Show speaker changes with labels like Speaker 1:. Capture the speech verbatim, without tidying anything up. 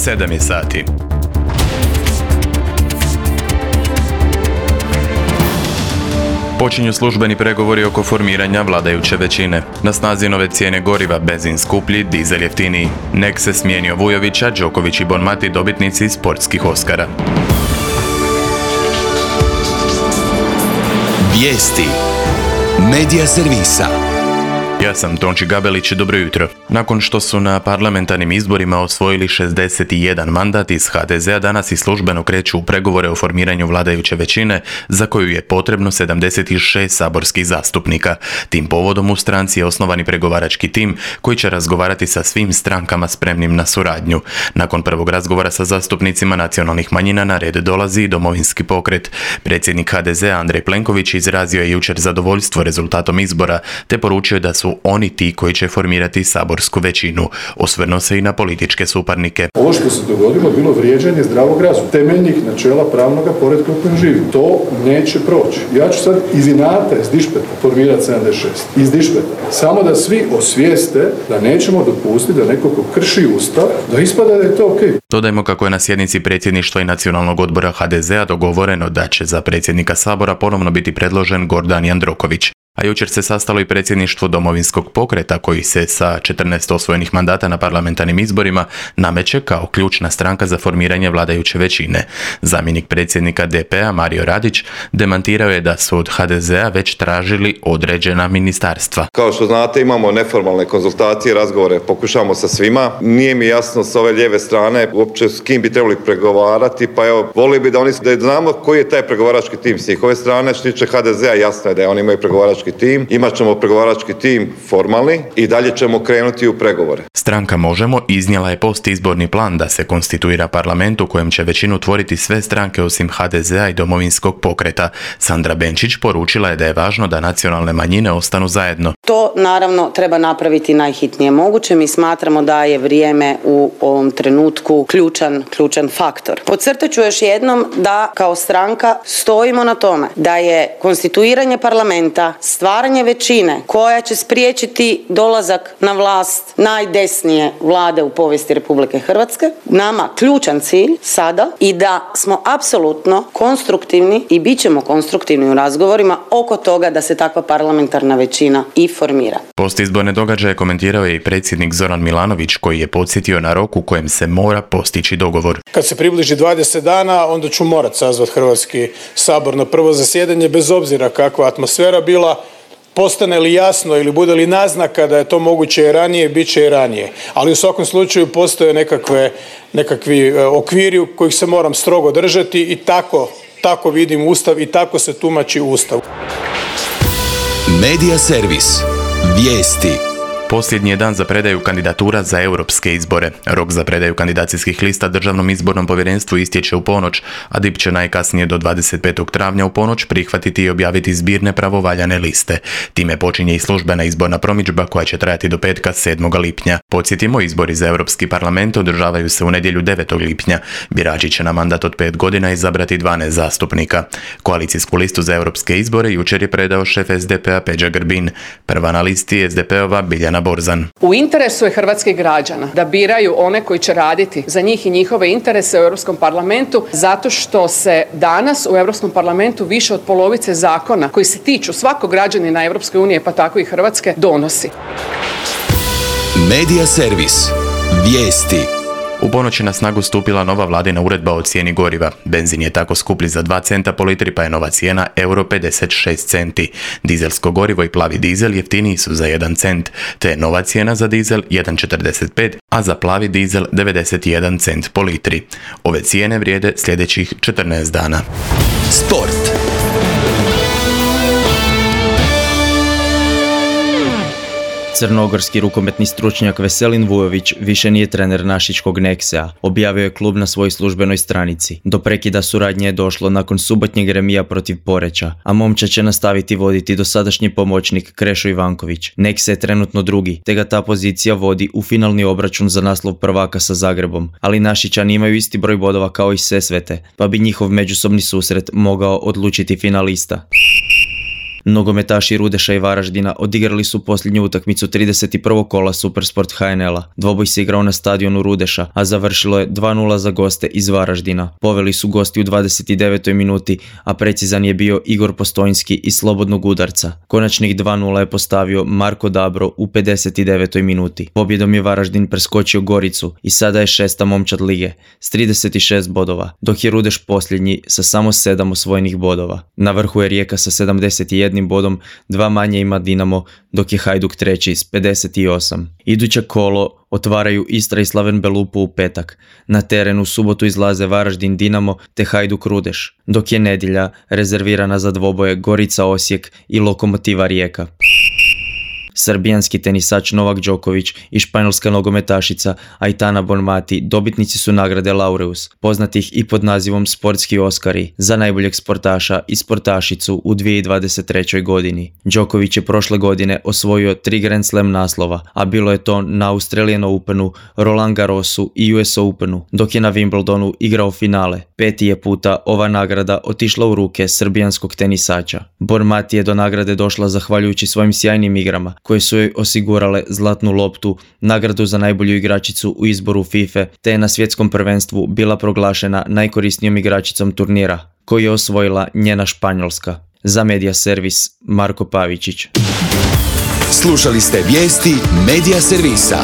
Speaker 1: sedam je sati. Počinju službeni pregovori oko formiranja vladajuće većine. Na snazi nove cijene goriva, benzin skuplji, dizel jeftiniji. Nek se smijenio Vujovića, Đoković i Bonmati dobitnici sportskih Oskara.
Speaker 2: Vijesti Medija servisa.
Speaker 1: Ja sam Tonči Gabelić, dobro jutro. Nakon što su na parlamentarnim izborima osvojili šezdeset jedan mandat iz ha de zea, danas i službeno kreću u pregovore o formiranju vladajuće većine, za koju je potrebno sedamdeset šest saborskih zastupnika. Tim povodom u stranci je osnovani pregovarački tim koji će razgovarati sa svim strankama spremnim na suradnju. Nakon prvog razgovora sa zastupnicima nacionalnih manjina na red dolazi i Domovinski pokret. Predsjednik ha de zea Andrej Plenković izrazio je jučer zadovoljstvo rezultatom izbora, te poručio da su oni ti koji će formirati saborsku većinu. Osvrnuo se i na političke suparnike.
Speaker 3: Ovo što se dogodilo bilo vrijeđanje zdravog razuma, temeljnih načela pravnog poretka u kojem živi. To neće proći. Ja ću sad iz inata, iz dišpeta formirati sedamdeset šest. Iz dišpeta. Samo da svi osvijeste da nećemo dopustiti da neko ko krši ustav, da ispada da je to okej. Okay.
Speaker 1: Dodajmo kako je na sjednici predsjedništva i nacionalnog odbora ha de zea dogovoreno da će za predsjednika sabora ponovno biti predložen Gordan Jandroković. A jučer se sastalo i predsjedništvo Domovinskog pokreta koji se sa četrnaest osvojenih mandata na parlamentarnim izborima nameće kao ključna stranka za formiranje vladajuće većine. Zamjenik predsjednika de pe a Mario Radić demantirao je da su od ha de zea već tražili određena ministarstva.
Speaker 4: Kao što znate, imamo neformalne konzultacije, razgovore, pokušamo sa svima. Nije mi jasno s ove lijeve strane uopće s kim bi trebali pregovarati, pa evo, volio bi da oni da znamo koji je taj pregovarački tim s njihove strane. Što tiče ha de zea, jasno je da oni imaju pregovarački tim, imat ćemo pregovarački tim formalni i dalje ćemo krenuti u pregovore.
Speaker 1: Stranka Možemo iznijela je postizborni plan da se konstituira parlament u kojem će većinu tvoriti sve stranke osim ha de zea i Domovinskog pokreta. Sandra Benčić poručila je da je važno da nacionalne manjine ostanu zajedno.
Speaker 5: To naravno treba napraviti najhitnije moguće. Mi smatramo da je vrijeme u ovom trenutku ključan, ključan faktor. Podcrtat ću još jednom da kao stranka stojimo na tome da je konstituiranje parlamenta stvaranje većine koja će spriječiti dolazak na vlast najdesnije vlade u povijesti Republike Hrvatske, nama ključan cilj sada i da smo apsolutno konstruktivni i bit ćemo konstruktivni u razgovorima oko toga da se takva parlamentarna većina i formira.
Speaker 1: Postizborne događaje komentirao je i predsjednik Zoran Milanović koji je podsjetio na rok u kojem se mora postići dogovor.
Speaker 6: Kad se približi dvadeset dana, onda ću morat sazvat Hrvatski sabor na prvo zasjedanje bez obzira kakva atmosfera bila. Postane li jasno ili bude li naznaka da je to moguće i ranije, bit će i ranije. Ali u svakom slučaju postoje nekakve, nekakvi okviri u kojih se moram strogo držati i tako, tako vidim Ustav i tako se tumači Ustav.
Speaker 2: Medija servis. Vijesti.
Speaker 1: Posljednji je dan za predaju kandidatura za europske izbore. Rok za predaju kandidacijskih lista Državnom izbornom povjerenstvu istječe u ponoć, a D I P će najkasnije do dvadeset petog travnja u ponoć prihvatiti i objaviti zbirne pravovaljane liste. Time počinje i službena izborna promidžba koja će trajati do petka sedmog lipnja. Podsjetimo, izbori za Europski parlament održavaju se u nedjelju devetog lipnja. Birači će na mandat od pet godina izabrati dvanaest zastupnika. Koalicijsku listu za europske izbore jučer je predao šef es de pe a Peđa Grbin. Prva na listi es de pe ova Biljana Borzan.
Speaker 7: U interesu je hrvatskih građana da biraju one koji će raditi za njih i njihove interese u Europskom parlamentu, zato što se danas u Europskom parlamentu više od polovice zakona koji se tiču svakog građanina Europske unije, pa tako i Hrvatske, donosi.
Speaker 2: Medija servis. Vijesti.
Speaker 1: U ponoći na snagu stupila nova vladina uredba o cijeni goriva. Benzin je tako skuplji za dva centa po litri, pa je nova cijena euro pedeset šest centi. Dizelsko gorivo i plavi dizel jeftiniji su za jedan cent, te je nova cijena za dizel jedan četrdeset pet, a za plavi dizel devedeset jedan cent po litri. Ove cijene vrijede sljedećih četrnaest dana.
Speaker 2: Sport.
Speaker 8: Crnogorski rukometni stručnjak Veselin Vujović više nije trener našičkog Neksea, objavio je klub na svojoj službenoj stranici. Do prekida suradnje je došlo nakon subotnjeg remija protiv Poreča, a momčad će nastaviti voditi dosadašnji pomoćnik Krešo Ivanković. Nekse je trenutno drugi, te ga ta pozicija vodi u finalni obračun za naslov prvaka sa Zagrebom, ali Našičani imaju isti broj bodova kao i Sesvete, pa bi njihov međusobni susret mogao odlučiti finalista. Nogometaši Rudeša i Varaždina odigrali su posljednju utakmicu trideset prvog kola Supersport H N L-a. Dvoboj se igrao na stadionu Rudeša, a završilo je dva nula za goste iz Varaždina. Poveli su gosti u dvadeset devetoj minuti, a precizan je bio Igor Postojnski iz slobodnog udarca. Konačnih dva nula je postavio Marko Dabro u pedeset devetoj minuti. Pobjedom je Varaždin preskočio Goricu i sada je šesta momčad lige s trideset šest bodova, dok je Rudeš posljednji sa samo sedam osvojenih bodova. Na vrhu je Rijeka sa sedamdeset jednim bodom, dva manje ima Dinamo, dok je Hajduk treći s pedeset osam. Iduće kolo otvaraju Istra i Slaven Belupo u petak. Na terenu u subotu izlaze Varaždin Dinamo te Hajduk Rudeš, dok je nedjelja rezervirana za dvoboje Gorica Osijek i Lokomotiva Rijeka. Srbijanski tenisač Novak Đoković i španjolska nogometašica Aitana Bonmati dobitnici su nagrade Laureus, poznatih i pod nazivom Sportski Oskari, za najboljeg sportaša i sportašicu u dvije tisuće dvadeset trećoj godini. Đoković je prošle godine osvojio tri Grand Slam naslova, a bilo je to na Australian Openu, Roland Garrosu i U S Openu, dok je na Wimbledonu igrao finale. Peti je puta ova nagrada otišla u ruke srbijanskog tenisača. Bonmati je do nagrade došla zahvaljujući svojim sjajnim igrama, koje su joj osigurale zlatnu loptu, nagradu za najbolju igračicu u izboru FIFA, te je na svjetskom prvenstvu bila proglašena najkorisnijom igračicom turnira, koju je osvojila njena Španjolska. Za Media Servis, Marko Pavičić.
Speaker 2: Slušali ste vijesti Media Servisa.